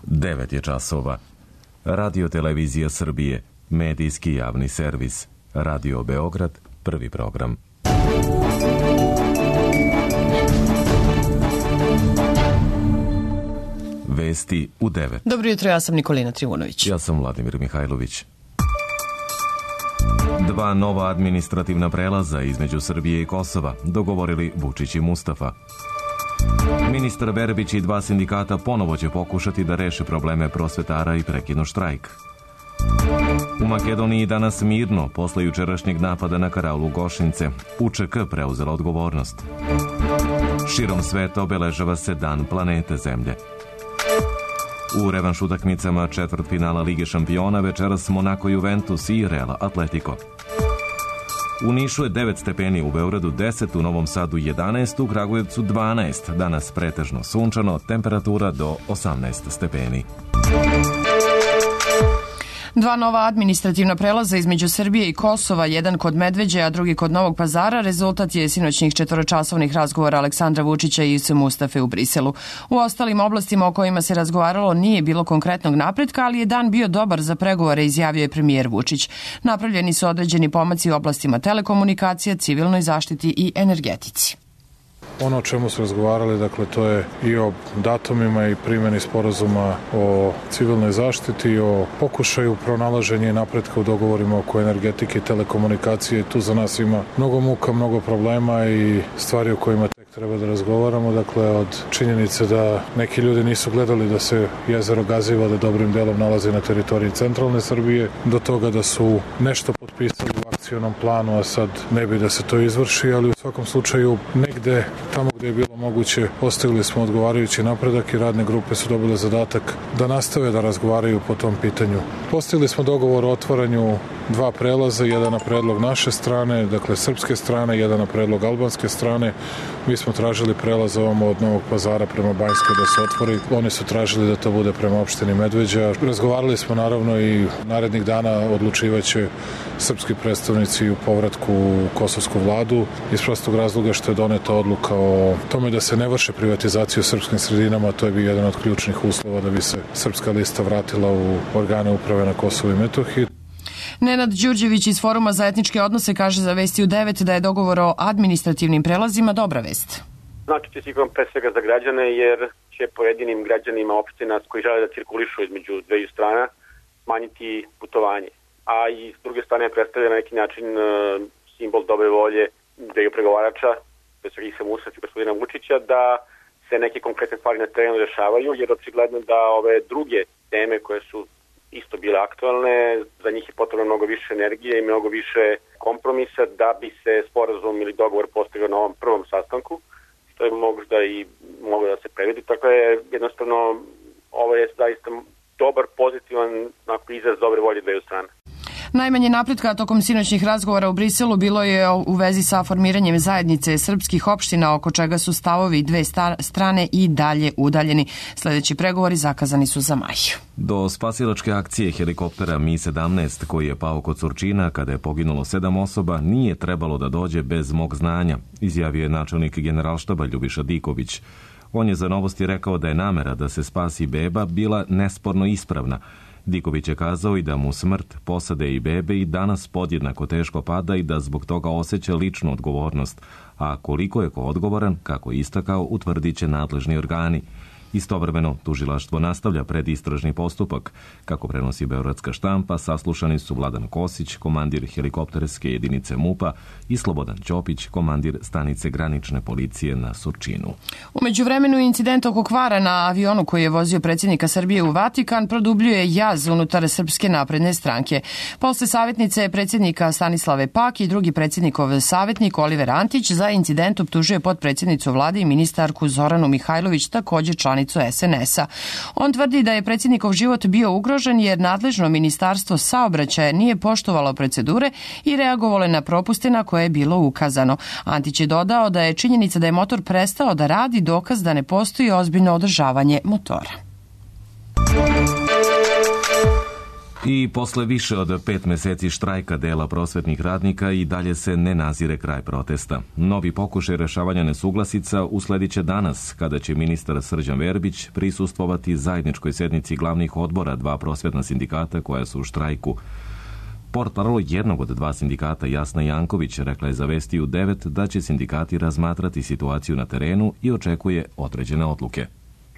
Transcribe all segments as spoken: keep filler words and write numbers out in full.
devet je časova. Radio Televizija Srbije, medijski javni servis. Radio Beograd, prvi program. Vesti u devet. Dobro jutro, ja sam Nikolina Trivunović. Ja sam Vladimir Mihajlović. Dva nova administrativna prelaza između Srbije i Kosova dogovorili Vučić i Mustafa. Ministar Verbić i dva sindikata ponovo će pokušati da reše probleme prosvetara i prekinu štrajk. U Makedoniji danas mirno posle jučerašnjeg napada na karaulu Gošince. U Č K preuzela odgovornost. Širom sveta obeležava se Dan planete Zemlje. U revanš utakmicama četvrtfinala Lige šampiona večeras Monako Juventus i Real Atletico. U Nišu je devet stepeni, u Beogradu deset, u Novom Sadu jedanaest, u Kragujevcu dvanaest. Danas pretežno sunčano, temperatura do osamnaest stepeni. Dva nova administrativna prelaza između Srbije i Kosova, jedan kod Medveđe, a drugi kod Novog Pazara, rezultat je sinoćnih četvoročasovnih razgovora Aleksandra Vučića i Ivice Mustafe u Briselu. U ostalim oblastima o kojima se razgovaralo nije bilo konkretnog napretka, ali je dan bio dobar za pregovore, izjavio je premijer Vučić. Napravljeni su određeni pomaci u oblastima telekomunikacija, civilnoj zaštiti i energetici. Ono o čemu su razgovarali, dakle, to je i o datumima i primjeni sporazuma o civilnoj zaštiti, o pokušaju pronalaženja i napretka u dogovorima oko energetike i telekomunikacije. Tu za nas ima mnogo muka, mnogo problema i stvari o kojima tek treba da razgovaramo. Dakle, od činjenice da neki ljudi nisu gledali da se jezero Gaziva da dobrim delom nalazi na teritoriji centralne Srbije, do toga da su nešto potpisali u akcionom planu, a sad ne bi da se to izvrši, ali u svakom slučaju negde tamo gde je bilo moguće postavili smo odgovarajući napredak i radne grupe su dobile zadatak da nastave da razgovaraju po tom pitanju. Postavili smo dogovor o otvaranju dva prelaza, jedan na predlog naše strane, dakle srpske strane, jedan na predlog albanske strane. Mi smo tražili prelaz ovamo od Novog Pazara prema Banjskoj da se otvori. Oni su tražili da to bude prema opštini Medveđa. Razgovarali smo naravno i narednih dana odlučivaće srpski predstavnici u povratku u kosovsku vladu iz prostog razloga što je doneta odluka o tome da se ne vrše privatizaciju u srpskim sredinama. To je bio jedan od ključnih uslova da bi se srpska lista vratila u organe uprave na Kosovu i Metohiji. Nenad Đurđević iz Foruma za etničke odnose kaže za Vesti u devet da je dogovor o administrativnim prelazima dobra vest. Znači će sigurno pre svega za građane jer će pojedinim građanima opština koji žele da cirkulišu između dveju strana smanjiti putovanje. A i s druge strane predstavlja na neki način simbol dobre volje dveju pregovarača, pre svega Ivice Mustafe i gospodina Vučića, da se neke konkretne stvari na terenu rešavaju, jer očigledno da ove druge teme koje su isto bile aktualne, za njih je potrebno mnogo više energije i mnogo više kompromisa da bi se sporazum ili dogovor postigao na ovom prvom sastanku, što je možda i moglo da se previdi. Tako je jednostavno ovo je zaista dobar, pozitivan izraz dobre volje dveju strane. Najmanje napretka tokom sinoćnih razgovora u Briselu bilo je u vezi sa formiranjem zajednice srpskih opština, oko čega su stavovi dve strane i dalje udaljeni. Sljedeći pregovori zakazani su za maj. Do spasilačke akcije helikoptera Mi sedamnaest koji je pao kod Surčina kada je poginulo sedam osoba nije trebalo da dođe bez mog znanja, izjavio je načelnik Generalštaba Ljubiša Diković. On je za Novosti rekao da je namera da se spasi beba bila nesporno ispravna. Diković je kazao i da mu smrt posade i bebe i danas podjednako teško pada i da zbog toga osjeća ličnu odgovornost, a koliko je ko odgovoran, kako je istakao, utvrdit će nadležni organi. Istovremeno, tužilaštvo nastavlja predistražni postupak. Kako prenosi beogradska štampa, saslušani su Vladan Kosić, komandir helikopterske jedinice MUP-a i Slobodan Ćopić, komandir stanice granične policije na Surčinu. U međuvremenu incident oko kvara na avionu koji je vozio predsjednika Srbije u Vatikan produbljuje jaz unutar Srpske napredne stranke. Posle savjetnice predsjednika Stanislave Pak i drugi predsjednikov savjetnik Oliver Antić za incident optužuje potpredsjednicu vlade i ministarku Zoranu Mihajlović, također članicu S N S-a. On tvrdi da je predsjednikov život bio ugrožen jer nadležno ministarstvo saobraćaja nije poštovalo procedure i reagovalo na propuste na koje je bilo ukazano. Antić je dodao da je činjenica da je motor prestao da radi dokaz da ne postoji ozbiljno održavanje motora. I posle više od pet meseci štrajka dela prosvetnih radnika i dalje se ne nazire kraj protesta. Novi pokušaj rešavanja nesuglasica usledit će danas, kada će ministar Srđan Verbić prisustvovati zajedničkoj sednici glavnih odbora dva prosvetna sindikata koja su u štrajku. Portparol jednog od dva sindikata, Jasna Janković, rekla je za Vesti u devet da će sindikati razmatrati situaciju na terenu i očekuje određene odluke.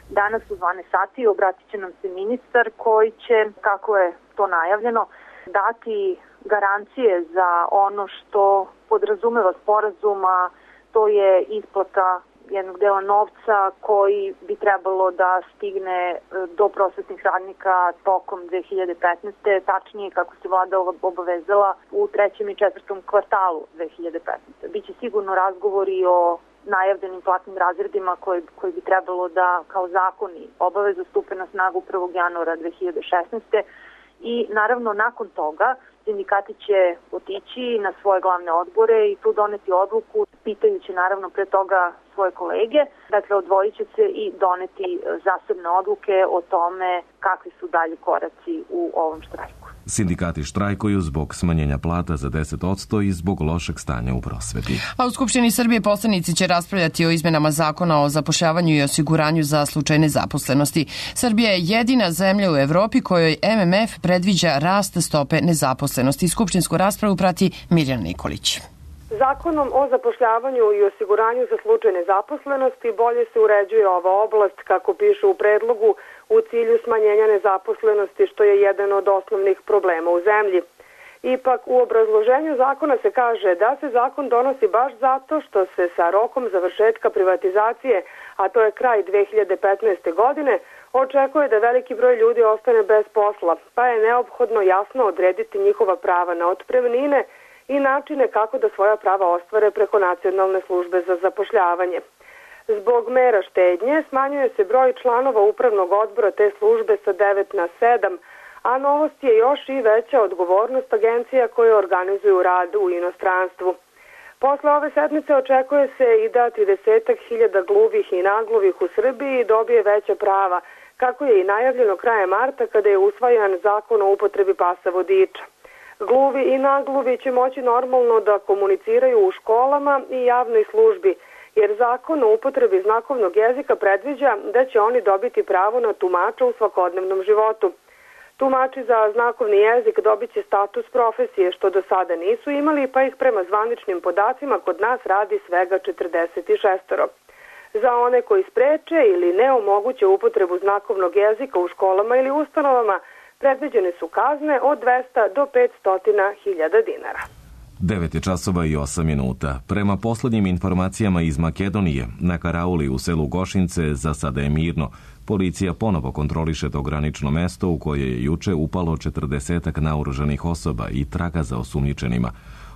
Danas u dvanaest sati obratit će nam se ministar koji će, kako je to najavljeno, dati garancije za ono što podrazumeva sporazuma, to je isplata jednog dela novca koji bi trebalo da stigne do prosvetnih radnika tokom dve hiljade petnaeste. Tačnije kako se vlada obavezala u trećem i četvrtom kvartalu dve hiljade petnaeste. Biće sigurno razgovori o najavljenim platnim razredima koji, koji bi trebalo da kao zakoni obavezu stupe na snagu prvog januara dve hiljade šesnaeste. I naravno nakon toga sindikati će otići na svoje glavne odbore i tu doneti odluku, pitajući naravno pre toga svoje kolege. Dakle, odvojit će se i doneti zasebne odluke o tome kakvi su dalji koraci u ovom štrajku. Sindikati štrajkuju zbog smanjenja plata za deset posto i zbog lošeg stanja u prosveti. A u Skupštini Srbije poslanici će raspravljati o izmenama zakona o zapošljavanju i osiguranju za slučaj nezaposlenosti. Srbija je jedina zemlja u Evropi kojoj M M F predviđa rast stope nezaposlenosti. Skupštinsku raspravu prati Mirjana Nikolić. Zakonom o zapošljavanju i osiguranju za slučaj nezaposlenosti bolje se uređuje ova oblast, kako piše u predlogu, u cilju smanjenja nezaposlenosti, što je jedan od osnovnih problema u zemlji. Ipak, u obrazloženju zakona se kaže da se zakon donosi baš zato što se sa rokom završetka privatizacije, a to je kraj dve hiljade petnaeste. godine, očekuje da veliki broj ljudi ostane bez posla, pa je neophodno jasno odrediti njihova prava na otpremnine i načine kako da svoja prava ostvare preko Nacionalne službe za zapošljavanje. Zbog mera štednje smanjuje se broj članova upravnog odbora te službe sa devet na sedam, a novost je još i veća odgovornost agencija koje organizuju rad u inostranstvu. Posle ove sedmice očekuje se i da tridesetak hiljada gluvih i nagluvih u Srbiji dobije veća prava, kako je i najavljeno krajem marta kada je usvajan zakon o upotrebi pasa vodiča. Gluvi i nagluvi će moći normalno da komuniciraju u školama i javnoj službi, jer zakon o upotrebi znakovnog jezika predviđa da će oni dobiti pravo na tumača u svakodnevnom životu. Tumači za znakovni jezik dobit će status profesije, što do sada nisu imali, pa ih prema zvaničnim podacima kod nas radi svega četrdeset šest. Za one koji spreče ili ne omoguće upotrebu znakovnog jezika u školama ili ustanovama, predviđene su kazne od dvesta do petsto hiljada dinara. devet je časova i osam minuta. Prema poslednjim informacijama iz Makedonije, na karauli u selu Gošince za sada je mirno. Policija ponovo kontroliše to granično mesto u koje je juče upalo četrdesetak naoružanih osoba i traga za osumnjičenima.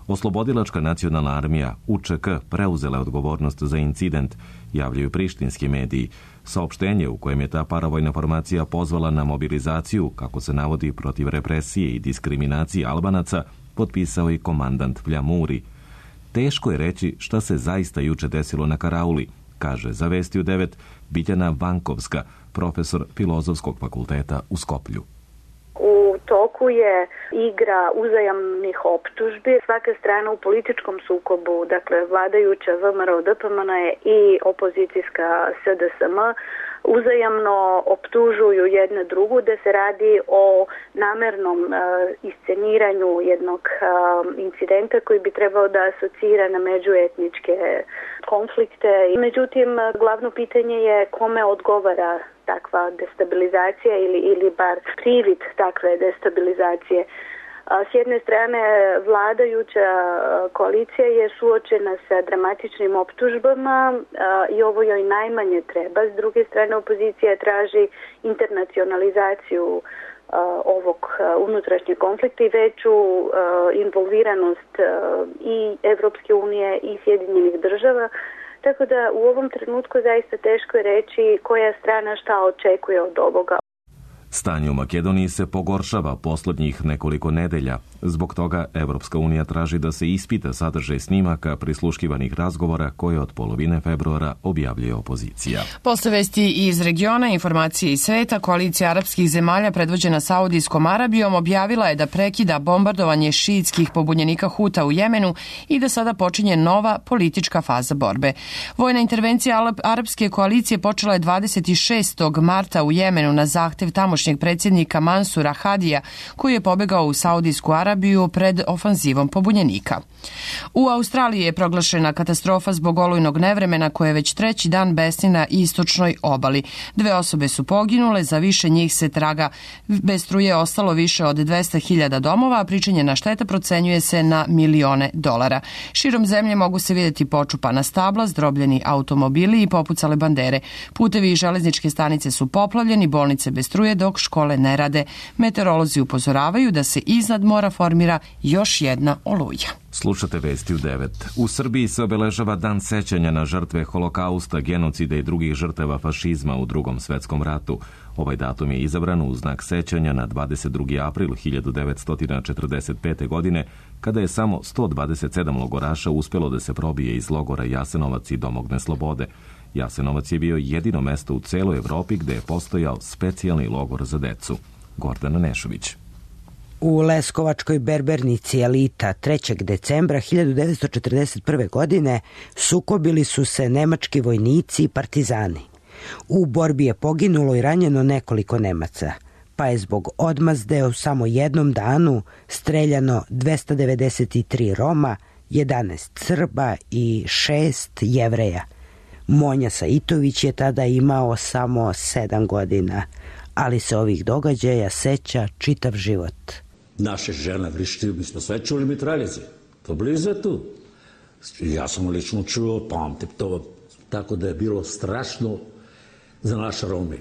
Oslobodilačka nacionalna armija U Č K preuzela je odgovornost za incident, javljaju prištinski mediji. Saopštenje u kojem je ta paravojna formacija pozvala na mobilizaciju, kako se navodi, protiv represije i diskriminacije Albanaca, potpisao i komandant Fljamuri. Teško je reći šta se zaista juče desilo na karauli, kaže za Vesti u devet Biljana Vankovska, profesor Filozofskog fakulteta u Skoplju. U toku je igra uzajamnih optužbi. Svaka strana u političkom sukobu, dakle vladajuća V M R O D P M N i opozicijska S D S M, uzajamno optužuju jedna drugu da se radi o namernom uh, isceniranju jednog uh, incidenta koji bi trebao da asocira na međuetničke konflikte. Međutim, glavno pitanje je kome odgovara takva destabilizacija ili, ili bar privid takve destabilizacije. S jedne strane, vladajuća koalicija je suočena sa dramatičnim optužbama i ovo joj najmanje treba. S druge strane, opozicija traži internacionalizaciju ovog unutrašnjeg konflikta i veću involviranost i Evropske unije i Sjedinjenih država. Tako da u ovom trenutku zaista teško je reći koja strana šta očekuje od ovoga. Stanje u Makedoniji se pogoršava posljednjih nekoliko nedelja. Zbog toga Evropska unija traži da se ispita sadržaj snimaka prisluškivanih razgovora koje od polovine februara objavljuje opozicija. Posle vesti iz regiona, informacije iz sveta, koalicija arapskih zemalja predvođena Saudijskom Arabijom objavila je da prekida bombardovanje šiitskih pobunjenika Huta u Jemenu i da sada počinje nova politička faza borbe. Vojna intervencija arapske koalicije počela je dvadeset šestog marta u Jemenu na zahtev tamošnjeg predsjednika Mansura Hadija, koji je pobegao u Saudijsku Arabiju pred ofanzivom pobunjenika. U Australiji je proglašena katastrofa zbog olujnog nevremena koje već treći dan besni na istočnoj obali. Dve osobe su poginule, za više njih se traga. Bez struje ostalo više od dvesta hiljada domova, a pričinjena šteta procenjuje se na milione dolara. Širom zemlje mogu se vidjeti počupana stabla, zdrobljeni automobili i popucale bandere. Putevi i železničke stanice su poplavljeni, bolnice bez struje, dok škole ne rade. Meteorolozi upozoravaju da se iznad mora formira još jedna oluja. Slušate vesti u devet. U Srbiji se obeležava Dan sećanja na žrtve holokausta, genocida i drugih žrtava fašizma u Drugom svetskom ratu. Ovaj datum je izabran u znak sećanja na dvadeset drugi april hiljadu devetsto četrdeset pete. godine, kada je samo sto dvadeset sedam logoraša uspjelo da se probije iz logora Jasenovac i domogne slobode. Jasenovac je bio jedino mesto u celoj Evropi gde je postojao specijalni logor za decu. Gordana Nešović. U Leskovačkoj berbernici Elita trećeg decembra hiljadu devetsto četrdeset prve. godine sukobili su se nemački vojnici i partizani. U borbi je poginulo i ranjeno nekoliko Nemaca, pa je zbog odmazde u samo jednom danu streljano dvesta devedeset tri Roma, jedanaest Srba i šest Jevreja. Monja Saitović je tada imao samo sedam godina, ali se ovih događaja seća čitav život. Naše žene vrištaju, mi smo sve čuli mitraljice. To blizu je tu. Ja sam lično čuo, pamtim to, tako da je bilo strašno za naše Rome.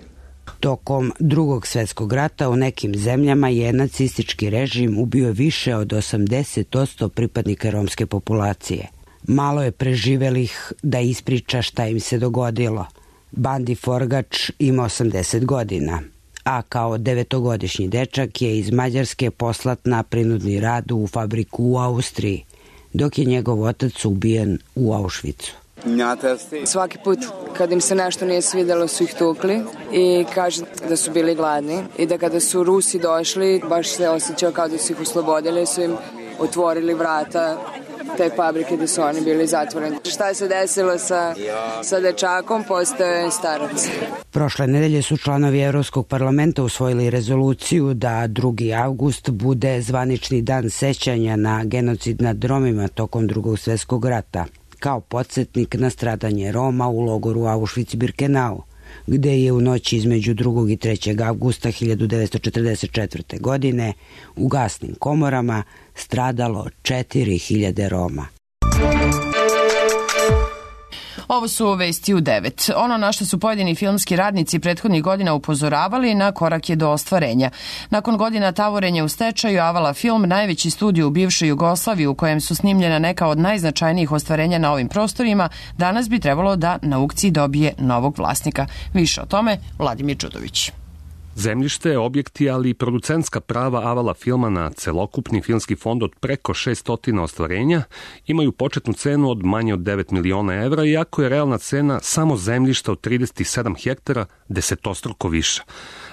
Tokom Drugog svjetskog rata u nekim zemljama je nacistički režim ubio više od osamdeset posto pripadnika romske populacije. Malo je preživelih da ispriča šta im se dogodilo. Bandi Forgač ima osamdeset godina, a kao devetogodišnji dečak je iz Mađarske poslat na prinudni rad u fabriku u Austriji, dok je njegov otac ubijen u Auschwitzu. Svaki put kad im se nešto nije svidjelo su ih tukli i kaže da su bili gladni i da kada su Rusi došli baš se osjećao kao da su ih oslobodili, su im otvorili vrata te fabrike gde su oni bili zatvoreni. Šta se desilo sa, sa dečakom, postaje starac. Prošle nedelje su članovi Evropskog parlamenta usvojili rezoluciju da drugi avgust bude zvanični dan sećanja na genocid nad Romima tokom Drugog svjetskog rata, kao podsjetnik na stradanje Roma u logoru Auschwitz-Birkenau, gde je u noći između drugog i trećeg avgusta hiljadu devetsto četrdeset četvrte. godine u gasnim komorama stradalo četiri hiljade Roma. Ovo su vesti u devet. Ono na što su pojedini filmski radnici prethodnih godina upozoravali, na korak je do ostvarenja. Nakon godina tavorenja u stečaju, Avala Film, najveći studio u bivšoj Jugoslaviji u kojem su snimljena neka od najznačajnijih ostvarenja na ovim prostorima, danas bi trebalo da na aukciji dobije novog vlasnika. Više o tome, Vladimir Đudović. Zemljište, objekti, ali i producentska prava Avala Filma na celokupni filmski fond od preko šesto ostvarenja imaju početnu cenu od manje od devet miliona evra, iako je realna cena samo zemljišta od trideset sedam hektara desetostruko viša.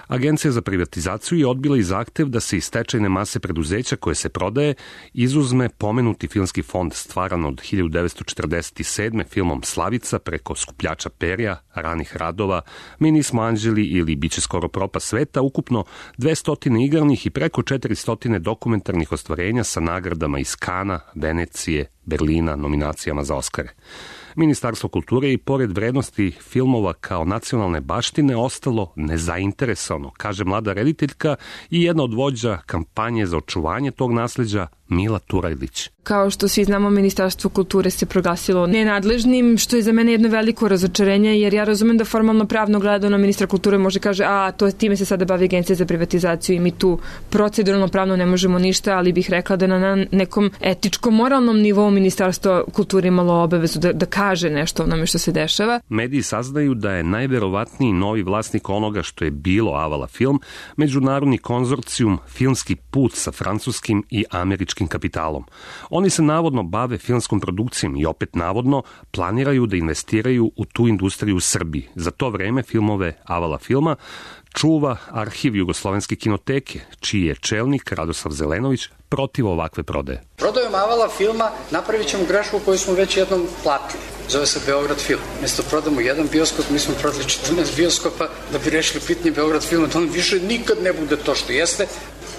Agencija za privatizaciju je odbila i zahtev da se iz stečajne mase preduzeća koje se prodaje izuzme pomenuti filmski fond stvaran od hiljadu devetsto četrdeset sedme. filmom Slavica preko Skupljača perja, Ranih radova, Mi nismo anđeli ili Biće skoro propast sveta, ukupno dvesta igranih i preko četiristo dokumentarnih ostvarenja sa nagradama iz Kana, Venecije, Berlina, nominacijama za Oskare. Ministarstvo kulture i pored vrednosti filmova kao nacionalne baštine ostalo nezainteresovano, kaže mlada rediteljka i jedna od vođa kampanje za očuvanje tog nasleđa, Mila Turajlić. Kao što svi znamo, Ministarstvo kulture se proglasilo nenadležnim, što je za mene jedno veliko razočarenje, jer ja razumem da formalno pravno gledano ministar kulture može kaže, a to time se sada bavi Agencija za privatizaciju i mi tu proceduralno pravno ne možemo ništa, ali bih rekla da na nekom etičko-moralnom nivou Ministarstvo kulture imalo obavezu da, da kaže nešto o onome što se dešava. Mediji saznaju da je najverovatniji novi vlasnik onoga što je bilo Avala film, međunarodni konzorcijum Filmski put sa francuskim i američkim kapitalom. Oni se navodno bave filmskom produkcijom i opet navodno planiraju da investiraju u tu industriju u Srbiji. Za to vreme filmove Avala filma čuva arhiv Jugoslovenske kinoteke, čiji je čelnik Radoslav Zelenović protiv ovakve prodaje. Prodajom Avala filma napravit ćemo grešku koju smo već jednom platili. Zove se Beograd film. Mjesto prodamo jedan bioskop, mi smo prodali četrnaest bioskopa da bi rešili pitanje Beograd filma, da on više nikad ne bude to što jeste,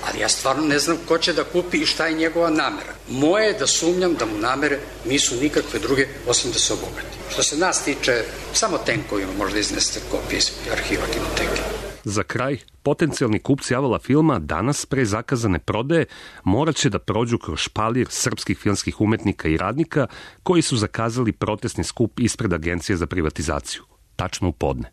ali ja stvarno ne znam ko će da kupi i šta je njegova namera. Moje je da sumnjam da mu namere nisu nikakve druge osim da se obogati. Što se nas tiče, samo tenkovima možda iznesete kopije iz arhiva kinoteke. Za kraj, potencijalni kupci Avala filma danas pre zakazane prodaje morat će da prođu kroz špalir srpskih filmskih umetnika i radnika koji su zakazali protestni skup ispred Agencije za privatizaciju. Tačno u podne.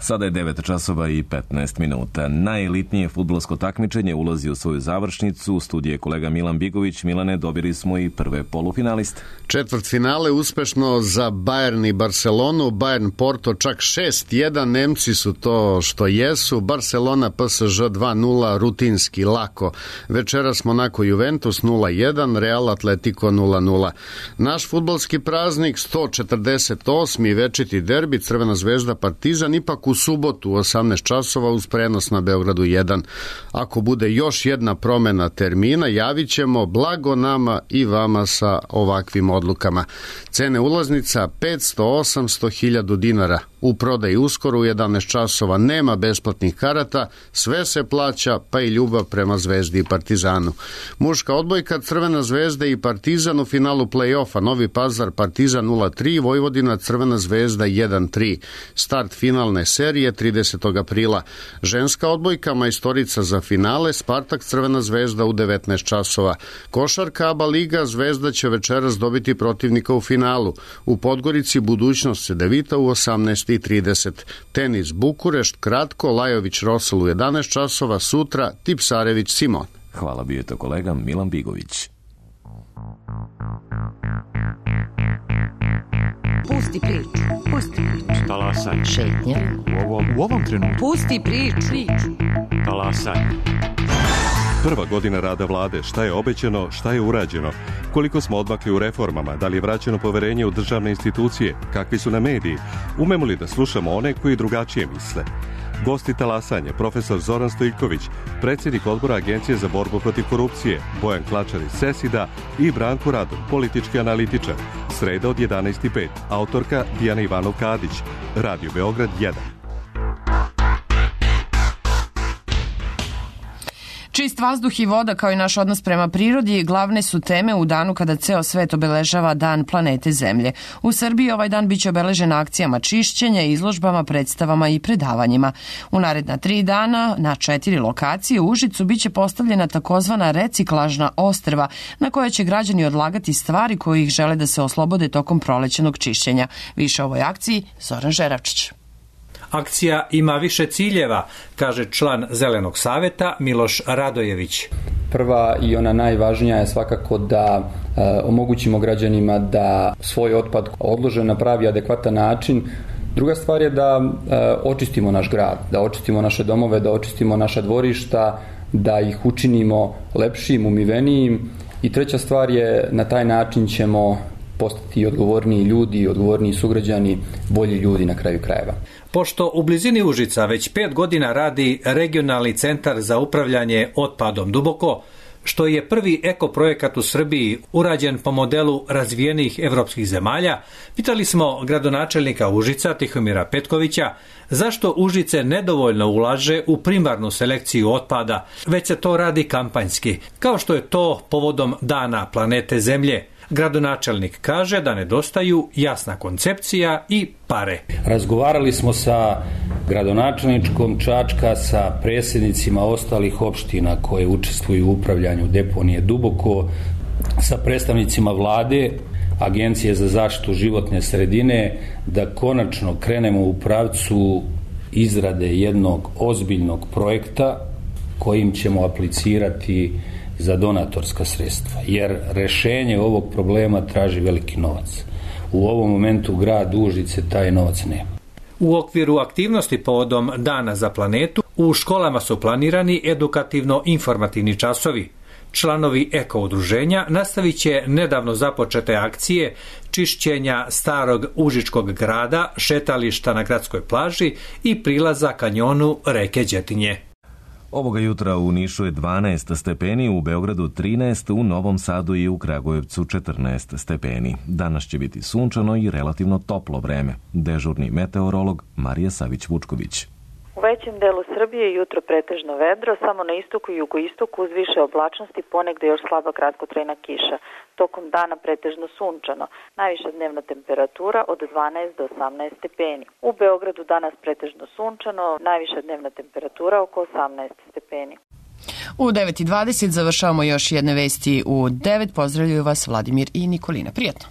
Sada je devet časova i petnaest minuta. Najelitnije fudbalsko takmičenje ulazi u svoju završnicu. U studiju je kolega Milan Bigović. Milane, dobili smo i prve polufinaliste. Četvrtfinale uspešno za Bayern i Barcelonu. Bayern Porto čak šest jedan. Nemci su to što jesu. Barcelona P S Ž dva nula, rutinski, lako. Večeras Monaco Juventus nula jedan, Real Atletico nula nula. Naš fudbalski praznik sto četrdeset osmi večiti derbi Crvena zvezda Partizan ipak u subotu u osamnaest časova uz prenos na Beogradu jedan. Ako bude još jedna promena termina, javit ćemo, blago nama i vama sa ovakvim odlukama. Cene ulaznica petsto do osamsto hiljada dinara. U prodaji uskoro u jedanaest časova, nema besplatnih karata, sve se plaća, pa i ljubav prema Zvezdi i Partizanu. Muška odbojka Crvena zvezda i Partizan u finalu play-offa, Novi Pazar Partizan nula tri, Vojvodina Crvena zvezda jedan tri. Start finalne serije tridesetog aprila. Ženska odbojka majstorica za finale, Spartak Crvena zvezda u devetnaest časova. Košarka A B A liga, Zvezda će večeras dobiti protivnika u finalu. U Podgorici budućnost Cedevita u osamnaest i trideset. Tenis Bukurešt, kratko, Lajović Rosel u jedanaest časova, sutra Tipsarević Simon. Hvala, bio je to kolega Milan Bigović. Pusti priču, pusti priču. Talasaj. Šetnja. U ovom, u ovom trenutku. Pusti priču. Talasaj. Prva godina rada vlade, šta je obećano, šta je urađeno, koliko smo odmakli u reformama, da li je vraćeno poverenje u državne institucije, kakvi su na mediji, umemo li da slušamo one koji drugačije misle. Gosti talasanja, profesor Zoran Stojković, predsjednik odbora Agencije za borbu protiv korupcije, Bojan Klačar iz Sesida i Branko Radon, politički analitičar. Sreda od jedanaest i pet, autorka Dijana Ivanov-Kadić, Radio Beograd jedan. Čist vazduh i voda kao i naš odnos prema prirodi glavne su teme u danu kada ceo svet obeležava Dan planete Zemlje. U Srbiji ovaj dan biće obeležen akcijama čišćenja, izložbama, predstavama i predavanjima. U naredna tri dana na četiri lokacije u Užicu biće postavljena takozvana reciklažna ostrva na koje će građani odlagati stvari koje ih žele da se oslobode tokom prolećenog čišćenja. Više o ovoj akciji Zoran Žeravčić. Akcija ima više ciljeva, kaže član Zelenog saveta Miloš Radojević. Prva i ona najvažnija je svakako da e, omogućimo građanima da svoj otpad odlože na pravi adekvatan način. Druga stvar je da e, očistimo naš grad, da očistimo naše domove, da očistimo naša dvorišta, da ih učinimo lepšim, umivenijim. I treća stvar je na taj način ćemo postati odgovorniji ljudi, odgovorniji sugrađani, bolji ljudi na kraju krajeva. Pošto u blizini Užica već pet godina radi regionalni centar za upravljanje otpadom Duboko, što je prvi ekoprojekat u Srbiji urađen po modelu razvijenih evropskih zemalja, pitali smo gradonačelnika Užica Tihomira Petkovića zašto Užice nedovoljno ulaže u primarnu selekciju otpada, već se to radi kampanjski, kao što je to povodom Dana planete Zemlje. Gradonačelnik kaže da nedostaju jasna koncepcija i pare. Razgovarali smo sa gradonačelničkom Čačka, sa predsjednicima ostalih opština koje učestvuju u upravljanju deponije Duboko, sa predstavnicima vlade, Agencije za zaštitu životne sredine, da konačno krenemo u pravcu izrade jednog ozbiljnog projekta kojim ćemo aplicirati za donatorska sredstva, jer rešenje ovog problema traži veliki novac. U ovom momentu grad Užice taj novac nema. U okviru aktivnosti povodom Dana za planetu u školama su planirani edukativno-informativni časovi. Članovi eko-udruženja nastavit će nedavno započete akcije čišćenja starog užičkog grada, šetališta na gradskoj plaži i prilaza kanjonu reke Đetinje. Ovoga jutra u Nišu je dvanaest stepeni, u Beogradu trinaest, u Novom Sadu i u Kragujevcu četrnaest stepeni. Danas će biti sunčano i relativno toplo vreme. Dežurni meteorolog Marija Savić-Vučković. U većem delu Srbije jutro pretežno vedro, samo na istoku i jugoistoku uz više oblačnosti, ponegde još slaba kratkotrajna kiša. Tokom dana pretežno sunčano, najviša dnevna temperatura od dvanaest do osamnaest stepeni. U Beogradu danas pretežno sunčano, najviša dnevna temperatura oko osamnaest stepeni. U devet i dvadeset završavamo još jedne vesti u devet. Pozdravljaju vas Vladimir i Nikolina. Prijetno!